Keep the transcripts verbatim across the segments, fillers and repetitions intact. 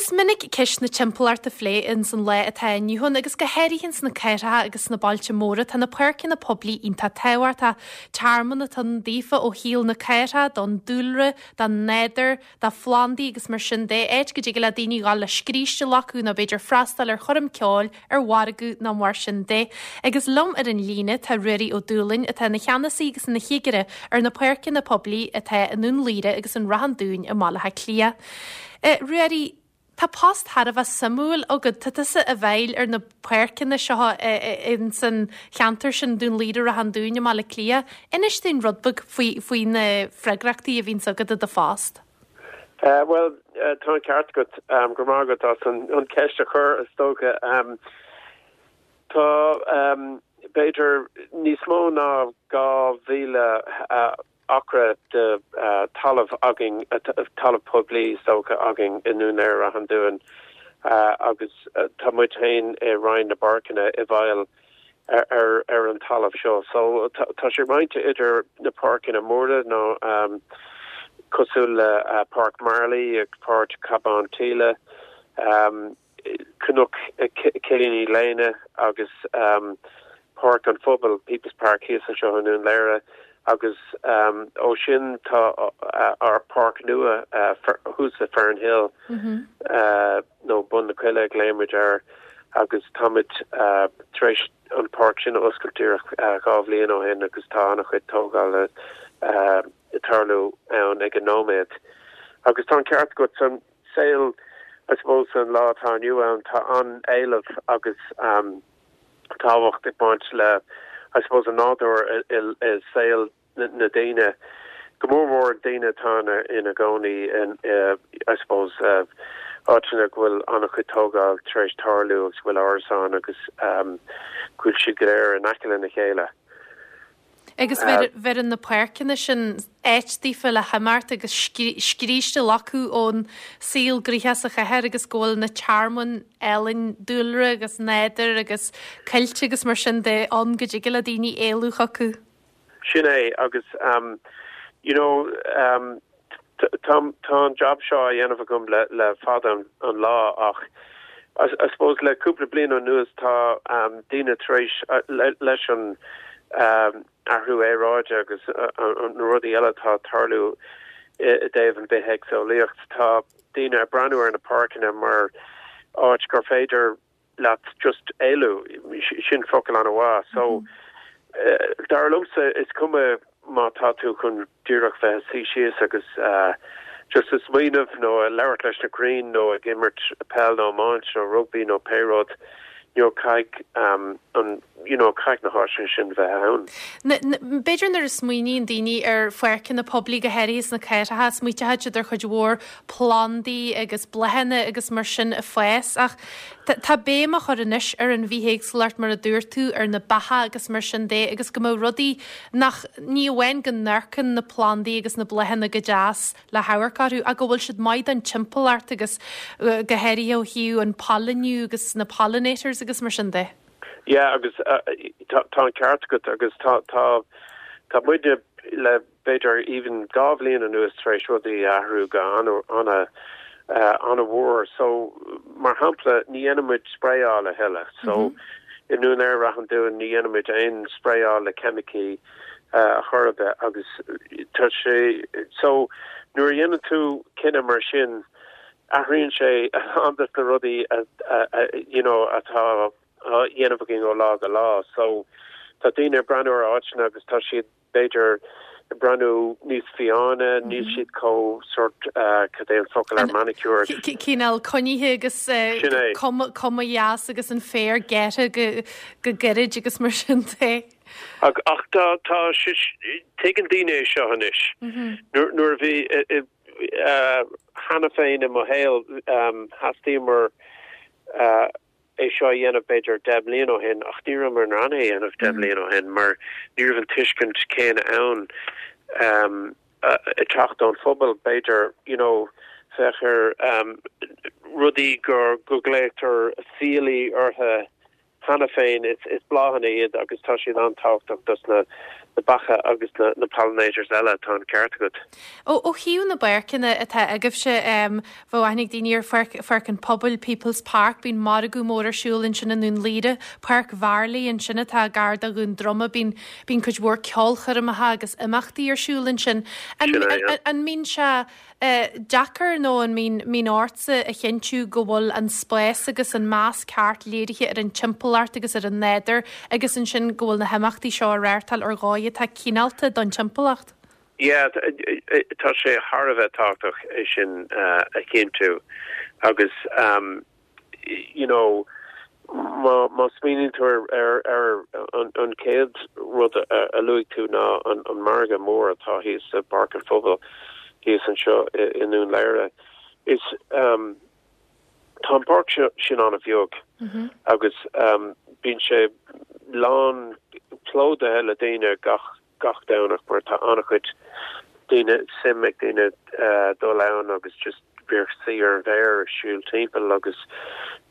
Is minic ceist na timpeallachta á phlé ins an lá atá inniu ann agus go háirithe sna cathracha agus sna bailte móra tá na páirceanna poiblí iontach tábhachtach. Tearmann atá ann daofa ó shaol na cathrach, don dúlra, don nádúr, do phlandaí agus mar sin de, áit go dtig le daoine dul le scríste a ghlacadh nó b'fhéidir freastal ar choirm ceoil ar mhargadh nó mar sin de. Agus liom ar an líne tá Ruairí Ó Dúlainn atá ina cheannasaí agus ina chigire ar na páirceanna poiblí atá i nDún Laoghaire agus in Ráth an Dúin i mBaile Átha Cliath. Uh, Ruairí, Tá post thar a bheith suimiúil agat tá tusa i bhfeighil ar na páirceanna seo in san cheantar sin Dún Laoghaire Ráth an Dúin i mBaile Átha Cliath. Inis dúinn rud beag faoi faoi na freagrachtaí a bhíonn agat i do phost. Uh, well uh, tá ceart agat um, go maith agat as an, an ceist a chur is dócha um, tá um, b'fhéidir níos mó ná dhá mhíle uh, acra de uh, talamh againn uh, talamh poiblí is dócha againn i nDún Laoghaire Ráth an Dúin uh, agus uh, tá muid féin i Roinn na bPáirceanna i bhfeighil ar, ar, ar an talamh seo. So tá sé roinnte idir na páirceanna móra nó um, cosúil le uh, Páirc Marley ag Páirc Cabán Tíle, um, Cnoc Cillíní Léine agus um, Páirc an Phobail People's Park thíos anseo i nDún Laoghaire agus um, ó sin tá uh, ár páirc nua uh, thuas i Fernhill mm -hmm. uh, nó Bun na Coille glaoimid air agus táimid uh, tar éis an pháirc sin oscailt uh, dhá bhliain ó shin agus tá an-chuid tógála uh, tarlú ann ag an nóiméad. Agus tá ceart agat san saol I suppose an lá atá inniu ann tá an-éileamh agus um, tábhacht ag baint le I suppose an nádúr i saol na daoine go mór mór daoine atá ina gcónaí in uh, I suppose uh, áiteanna go bhfuil an-chuid tógáil tar éis tarlú agus bhfuil árasáin agus um, go bhfuil siad go léir in aice lena chéile. Agus bheireann na páirceanna sin áit daofa le himeacht agus scríste a ghlacadh ón saol gnoitheach sa chathair agus go bhfuil na tearmainn álainn dúlra agus nádúr agus coillte agus mar sin de an go dtig le daoine éalú chucu. Sin é agus um, you know um, tá an job seo á dhéanamh agam le, le fada an, an lá ach I, I suppose le cúpla bliain anuas tá um, daoine tar éis uh, le, leis an um, athrú aeráide agus uh, na rudaí eile atá tarlú i dtaobh an bithéagsúlacht tá daoine ag breathnú ar na páirceanna mar áit gur féidir leat just éalú sin focal an-mhaith so mm -hmm. uh, dar liomsa is cuma má tá tú chun díreach bheith suí síos agus uh, just ag smaoineamh nó labhairt leis na crainn nó ag imirt peil nó iomáint nó rugby nó pé rud you caithfidh um, an you know caithfidh na háiteanna sin bheith ann. B'fhéidir nuair a smaoiníonn daoine ar pháirceanna poiblí go háirithe sna cathracha smaoiníonn siad ar chuid mhór plandaí agus bláthanna agus mar sin ag fás ach tá béim á chur anois ar an bhithéagsúlacht mar a dúirt tú ar na beacha agus mar sin de agus go mbeadh rudaí nach ní amháin go n-amharcann na plandaí agus na bláthanna go deas le hamharc orthu ach go bhfuil siad maith don timpeallacht agus go háirithe ó thaobh an pailniú agus na pollinators agus mar sin de. Yeah, agus uh, tá an ceart agat agus tá tá tá muide le b'fhéidir even dhá bhliain anuas tar éis rudaí athrú go an uh, an-mhór so mar shampla ní dhéanaimid sprayáil a thuilleadh so mm -hmm. i nDún Laoghaire Ráth an Dúin ní dhéanaimid aon sprayáil le ceimicí uh, chor ar bith agus tá sé so nuair a dhéanann tú cinneadh mar sin athraíonn sé an na rudaí you know atá dhéanamh againn ó lá go lá so tá daoine breathnú ar áiteanna agus tá siad b'fhéidir breathnú níos fiáine níl mhm. siad chomh sort cad é an focal ar manicure Cineál coinnithe agus cuma dheas agus an féar gearrtha go go gairid agus mar sin de. Ach ach tá tá tuigeann daoine seo anois mhm. nuair a bhí cheana féin i mo shaol theastaíomar é seo dhéanamh b'fhéidir deich mbliana ó shin ach ní rabhamar in ann é a dhéanamh deich mbliana ó shin mar ní raibh an tuiscint céanna ann um, ag teacht ón phobal b'fhéidir you know féach ar um, rudaí gur go nglaotar fiailí orthu cheana féin is is bláthanna iad agus tá siad an-tábhachtach dos na na beacha agus na, na pollinators eile tá an ceart agat. Ó ó thaobh na bpáirceanna atá agaibhse um, bheadh aithne ag daoine ar Pháirc, Pháirc an Phobail People's Park, bíonn margadh mór ar siúl ansin i nDún Laoghaire, Páirc Mharlaí ansin atá gar do Dhún Droma, bíonn bíonn cuid mhór ceolchoirmeacha agus imeachtaí ar siúl ansin. An, Sin é, an, yeah. an mbíonn sé uh, deacair nó an mbíonn mbíonn ortsa a chinntiú go bhfuil an spás agus an meas ceart léirithe ar an timpeallacht agus ar an nádúr agus ansin go bhfuil na himeachtaí seo á reáchtáil ar dhóigh atá cineálta don timpeallacht. Yeah, tá sé thar a bheith tábhachtach é sin uh, a chinntiú agus um, you know má má smaoiníonn tú ar ar ar an, an chéad rud a, a luaigh tú ná an, an margadh mór atá thíos sa Pháirc an Phobail thíos anseo i, i nDún Laoghaire is um, tá an páirc sin an-bheag Mm -hmm. agus um, bíonn sé lán plódaithe le daoine gach gach Domhnach mar tá an-chuid daoine suim ag daoine uh, dul ann agus just bheith suí ar bheir siúl timpeall agus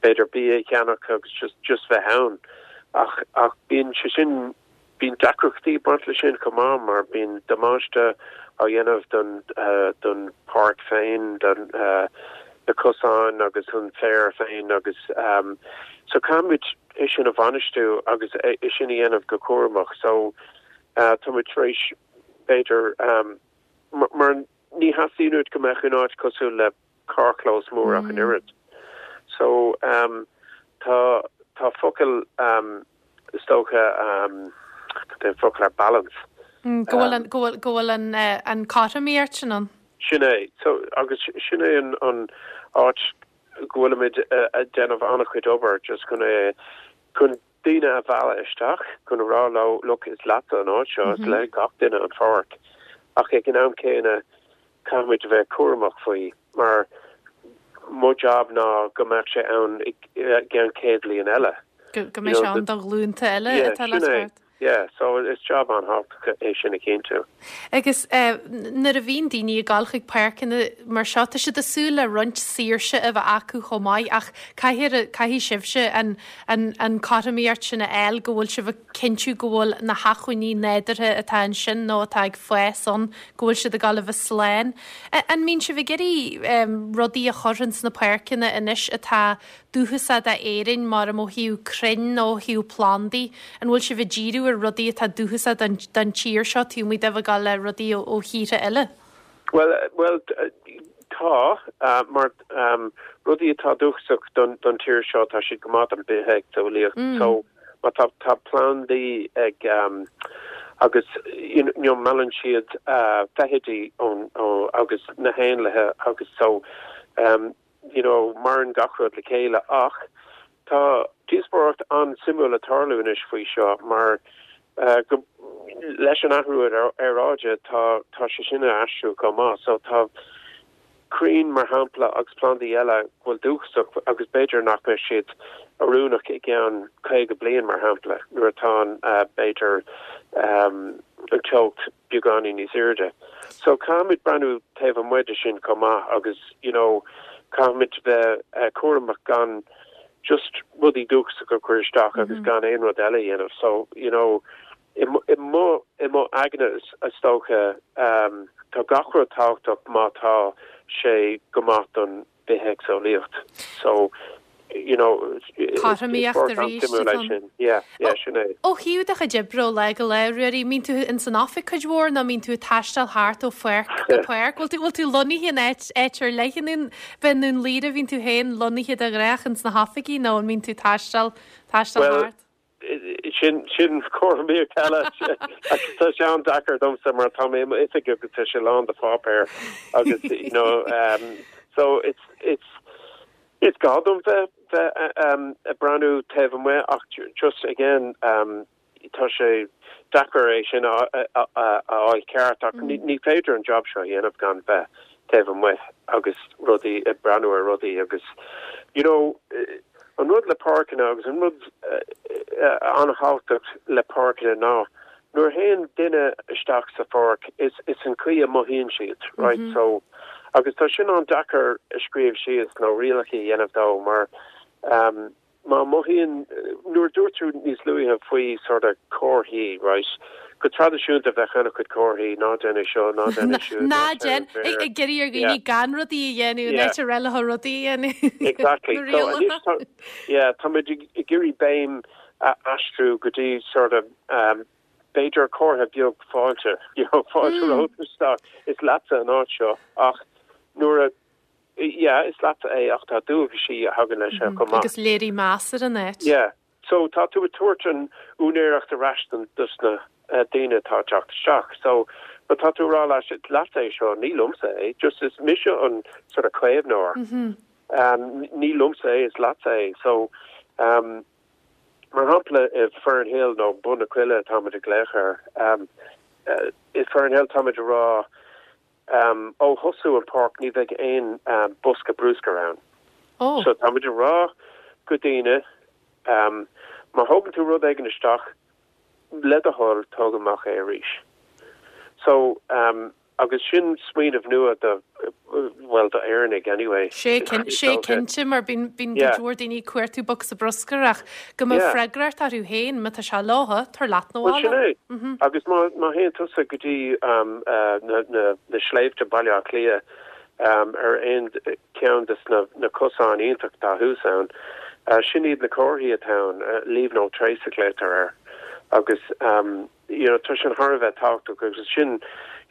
b'fhéidir bia a cheannach agus just just bheith ann ach ach bíonn sé sin bíonn deacrachtaí baint le sin chomh maith mar bíonn damáiste á dhéanamh don uh, don pháirc féin don uh, na cosáin agus an féar féin agus um, so caithfimid é sin a bhainistiú agus é é sin a dhéanamh go cúramach so uh, tá muid tar éis b'fhéidir um, mar, mar ní theastaíonn uait go mbeadh an áit cosúil le carrchlós mór ach an oiread. So um, tá tá focal um, is dócha um, focal ar balance. Mm, go bhfuil an go bhfuil go bhfuil an uh, an cothromaíocht sin ann. Sin é so agus sin é an an áit go bhfuilimid uh, ag déanamh an-chuid obair just chun é chun daoine a mhealladh isteach chun rá leo look is leat an áit seo is Mhm. le gach duine an pháirc ach ag an am céanna caithfimid a bheith cúramach faoi mar mo job ná go mbeadh sé ann i gceann céad bliain eile. Go go mbeidh sé ann do ghlúnta eile Yeah, atá le sin é. teacht. Yeah, so is job an-thábhachtach é sin a chinntiú. Agus uh, nuair a bhíonn daoine ag dul chuig páirceanna mar seo tá siad ag súil le roinnt saoirse a bheith acu chomh maith ach caithfidh caithfidh sibhse an, an, an cothromaíocht sin a fháil go bhfuil sibh ag cinntiú go bhfuil na hacmhainní nádúrtha atá ansin nó atá ag fás ann go bhfuil siad ag dul a bheith slán. An mbíonn sibh ag iarraidh um, rudaí a chur ins na páirceanna anois atá dúchasach d'Éirinn mar ó thaobh crainn nó ó thaobh plandaí, an bhfuil sibh ag díriú ar rudaí atá dúchasach don, don tír seo tú muid a bheith le rudaí ó, ó thíortha eile? Well, well tá uh, mar um, rudaí atá dúchasach don don tír seo tá siad go maith don bithéagsúlacht Mm. so má tá tá plandaí ag um, agus you know, meallann siad uh, feithidí ón ó agus na héanlaithe agus so um, you know, maireann gach rud le chéile ach tá díospóireacht an-suimiúil ag tarlú anois faoi seo mar uh, go, leis an athrú ar aeráide tá tá sé sin ag athrú chomh maith so tá crainn mar shampla agus plandaí eile bhfuil dúchasach agus b'fhéidir nach mbeidh siad oiriúnach i gceann caoga bliain mar shampla nuair atá uh, b'fhéidir um, an teocht beagáinín níos airde. So caithfimid breathnú taobh amuigh de sin chomh maith agus you know, caithfimid bheith uh, cúramach gan just rudaí dúchasach a chur isteach agus Mhm. gan aon rud eile a dhéanamh. So you know, i mo i mo i mo aigne is is dócha um, tá gach rud tábhachtach má tá sé go maith don bithéagsúlacht. So you know Cothromaíocht arís atá sin. Yeah, yeah, sin é. Ó thaobh do chuid oibre ó lá go lá Ruairí, mbíonn tú in san oifig cuid mhór nó mbíonn tú ag taisteal thart ó pháirc go páirc, Bhfuil tú bhfuil tú lonnaithe in áit áit ar leith b'in Dún Laoghaire bhíonn tú féin lonnaithe de ghnáth ins na hoifigí nó an mbíonn tú taisteal taisteal Well, thart. sin sin cothromaíocht eile tá sé an-deacair domsa mar tá mé oifig agus tá sé lán de pháipéir agus you know um, so it's it's it's gá dom bheith bheith um, ag breathnú taobh amuigh ach just again um, tá sé deacair é sin a a a a ceart ach ní ní féidir an job seo dhéanamh gan bheith taobh amuigh agus rudaí ag breathnú ar rudaí agus you know eh, an rud le páirceanna agus an rud an-thábhachtach le páirceanna ná nuair a théann duine isteach sa pháirc is is an chaoi a mothaíonn siad right mm -hmm. so agus tá sin an-deacair a scríobh síos nó rialacha a dhéanamh dó mar um, má mothaíonn nuair dúirt tú níos luaithe faoi sort of comharthaí right Go traidisiúnta bheadh an-chuid comharthaí ná déan é seo ná déan é siúd. Ná déan ag iarraidh ar dhaoine gan rudaí a dhéanamh in áit a rá leo rudaí a dhéanamh. Exactly. So anois tá yeah, táimid ag iarraidh béim a aistriú go dtí sort of um, b'fhéidir comhartha beag fáilte you know, fáilte mm. romhat isteach is leatsa an áit seo ach nuair a yeah, is leatsa é ach tá dualgaisí a thagann leis mm -hmm. Agus léiriú meas ar an áit. Yeah. So tá tú ag tabhairt an úinéireacht ar ais dos na uh, daoine atá ag teacht isteach. So but tá tú rá leis leat é seo ní liomsa é, just is mise an sort of caomhnóir. Mm -hmm. um, ní liomsa é is leatsa é. So um, mar shampla i Fernhill nó Bun na Coille táimid ag glaoch air um, uh, i Fernhill táimid ag rá um, ó thosú an páirc ní bheidh aon um, bosca bruscair ann. Oh. So táimid ag rá go daoine um, má thógann tú rud éigin isteach le do thoil tóg amach é arís. So um, agus sin smaoineamh nua do well do Éireannaigh anyway. Sé sé cinnte mar bíonn bíonn go leor daoine ag cuartú bosca bruscair ach go mbeadh freagracht orthu féin má tá sé leofa tabhair leat na bhaile. Mhm. Agus má má théann tusa go dtí um, uh, na, na, na sléibhte Baile Átha Cliath um, ar aon ceann des na, na cosáin iontach atá thuas ann. Uh, sin iad na comharthaí atá ann uh, leave no trace a glaotar air agus um, you know, tá sin thar a bheith tábhachtach agus sin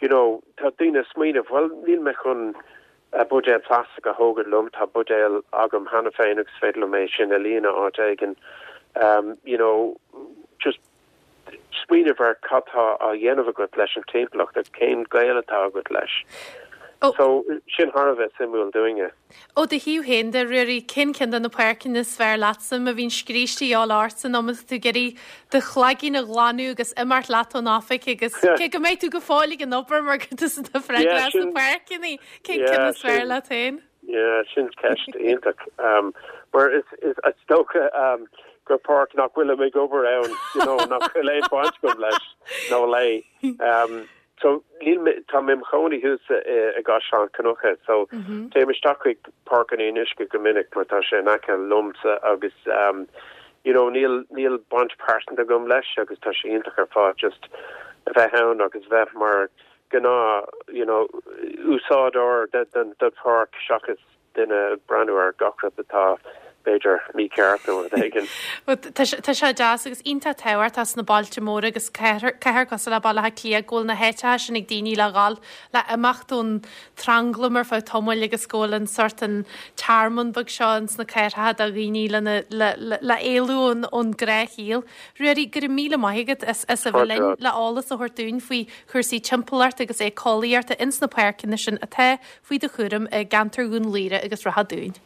you know, tá daoine ag smaoineamh well níl mé chun uh, buidéal plastic a thógáil liom tá buidéal agam cheana féin agus féidir liom é sin a líonadh áit éigin um, you know, just smaoineamh ar cad tá á dhéanamh agat leis an timpeallacht agus cén gaol atá agat leis. Oh. So sin thar a bheith suimiúil dúinne. Ó do thaobh féin de Ruairí cén ceann de na páirceanna is fearr leatsa má bhíonn scríste á ort an am tú ag iarraidh do chloigeann a ghlanadh agus imeacht leat ón oifig agus cé go mbeidh tú go fóill ag an obair mar go do freagra na páirceanna cén ceann is fearr leat féin? Yeah, sin ceist iontach. Um, mar is is is dócha um, gur páirc nach bhfuil ag obair ann you know, nach bhfuil aon baint agam leis nó léi. Um, so níl tá mé im chónaí thuas i gCaisleán Cnucha so mm -hmm. téim isteach chuig Páirc an Fhionnuisce go minic mar tá sé in aice liomsa agus um, you know, níl níl baint pearsanta agam leis agus tá sé iontach ar fad just a bheith ann agus bheith mar gnáth you know, úsáideoir den den den pháirc seachas duine ag breathnú ar gach rud atá b'fhéidir mícheart nó rud éigin. Tá sé deas agus iontach tábhachtach sna bailte móra agus cathair cosúil le Baile Átha Cliath go bhfuil na háiteacha sin ag daoine le dhul le imeacht ón tranglam ar feadh tamaill agus go bhfuil an sort an tearmann beag seo ins na cathracha do dhaoine le le éalú ón ngnáthshaol. Ruairí go raibh míle maith agat as as a bheith linn le eolas a thabhairt dúinn faoi chúrsaí timpeallachta agus éiceolaíochta ins na páirceanna sin atá faoi do chúram i gceantar Dhún Laoghaire agus Ráth Dúin.